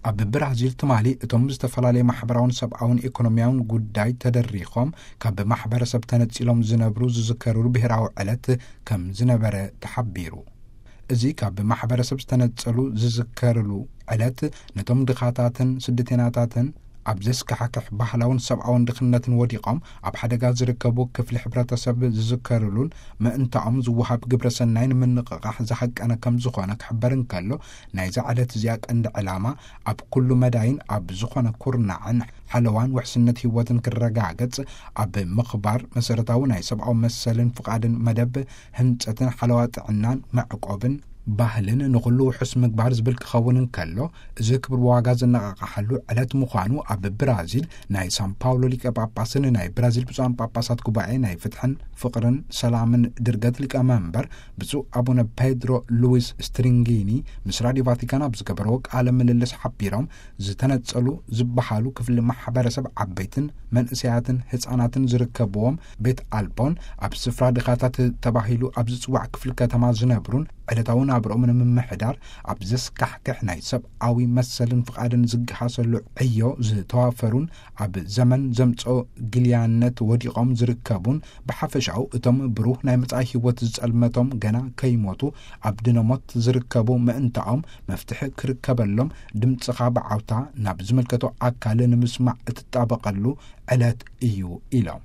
ኣብ ብራዚል ትማሊ እቶም ዝተፈላለየ ማሕበራውን ሰብኣውን ኢኮኖሚያውን ጉዳይ ተደሪኾም ካብ ማሕበረሰብ ተነጺሎም ዝነብሩ ዝዝከርሉ ብሔራዊ ዕለት ከም ዝነበረ ተሓቢሩ። እዚ ካብ ማሕበረሰብ ዝተነጸሉ ዝዝከርሉ ዕለት ነቶም ድኻታትን ስደተኛታትን ኣብ ዘስካሕክሕ ባህላውን ሰብኣውን ድኽነትን ወዲቖም ኣብ ሓደጋ ዝርከቡ ክፍሊ ሕብረተሰብ ዝዝከርሉን ምእንታኦም ዝወሃብ ግብረ ሰናይ ንምንቕቓሕ ዝሃቀነ ከም ዝኾነ ክሕበር እንከሎ፣ ናይዛ ዕለት እዚኣ ቀንዲ ዕላማ ኣብ ኩሉ መዳይን ኣብ ዝኾነ ኩርናዕን ሓለዋን ውሕስነት ህይወትን ክረጋገጽ ኣብ ምኽባር መሰረታዊ ናይ ሰብኣዊ መሰልን ፍቓድን መደብ ህንጸትን ሓለዋ ጥዕናን መዕቆብን ባህልን ንኹሉ ውሑስ ምግባር ዝብል ክኸውን እንከሎ፣ እዚ ክብር ዋጋ ዝነቓቕሓሉ ዕለት ምዃኑ ኣብ ብራዚል ናይ ሳን ፓውሎ ሊቀ ጳጳስን ናይ ብራዚል ብፁዓን ጳጳሳት ጉባኤ ናይ ፍትሕን ፍቕርን ሰላምን ድርገት ሊቀ መንበር ብፁዕ ኣቡነ ፔድሮ ሉዊስ ስትሪንጊኒ ምስ ራዲዮ ቫቲካን ኣብ ዝገበረዎ ቃለ ምልልስ ሓቢሮም፣ ዝተነጸሉ ዝበሃሉ ክፍሊ ማሕበረሰብ ዓበይትን መንእሰያትን ህጻናትን ዝርከብዎም ቤት ኣልቦን ኣብ ስፍራ ድኻታት ተባሂሉ ኣብ ዝጽዋዕ ክፍሊ ከተማ ዝነብሩን ዕለታዊ ናብርኦም ንምምሕዳር ኣብ ዘስካሕክሕ ናይ ሰብኣዊ መሰልን ፍቓድን ዝገሃሰሉ ዕዮ ዝተዋፈሩን ኣብ ዘመን ዘምጽኦ ግልያነት ወዲቖም ዝርከቡን ብሓፈሻኡ እቶም ብሩህ ናይ መጻኢ ህይወት ዝጸልመቶም ገና ከይሞቱ ኣብ ድነሞት ዝርከቡ ምእንታኦም መፍትሒ ክርከበሎም ድምጽኻ ብዓውታ ናብ ዝምልከቶ ኣካል ንምስማዕ እትጣበቐሉ ዕለት እዩ ኢሎም።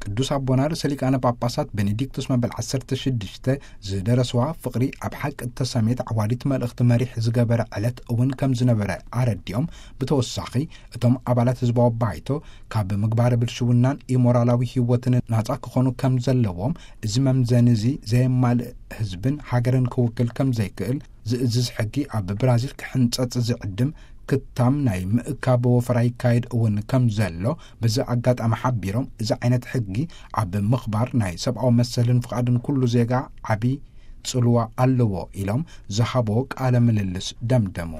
ቅዱስ ኣቦና ርእሰ ሊቃነ ጳጳሳት ቤኔዲክቶስ መበል ዓሰርተ ሽዱሽተ ዝደረስዋ ፍቕሪ ኣብ ሓቂ እተሰምየት ዓዋዲት መልእኽቲ መሪሕ ዝገበረ ዕለት እውን ከም ዝነበረ ኣረዲኦም፣ ብተወሳኺ እቶም ኣባላት ህዝባዊ ባይቶ ካብ ምግባረ ብልሽውናን ኢሞራላዊ ህይወትን ናጻ ክኾኑ ከም ዘለዎም፣ እዚ መምዘኒ እዚ ዘየማልእ ህዝብን ሃገርን ክውክል ከም ዘይክእል ዝእዝዝ ሕጊ ኣብ ብራዚል ክሕንጸጽ ዝዕድም ክታም ናይ ምእካብ ወፈራ ይካየድ እውን ከም ዘሎ በዚ ኣጋጣሚ ሓቢሮም፣ እዚ ዓይነት ሕጊ ኣብ ምኽባር ናይ ሰብኣዊ መሰልን ፍቓድን ኩሉ ዜጋ ዓቢ ጽልዋ ኣለዎ ኢሎም ዝሃቦ ቃለ ምልልስ ደምደሙ።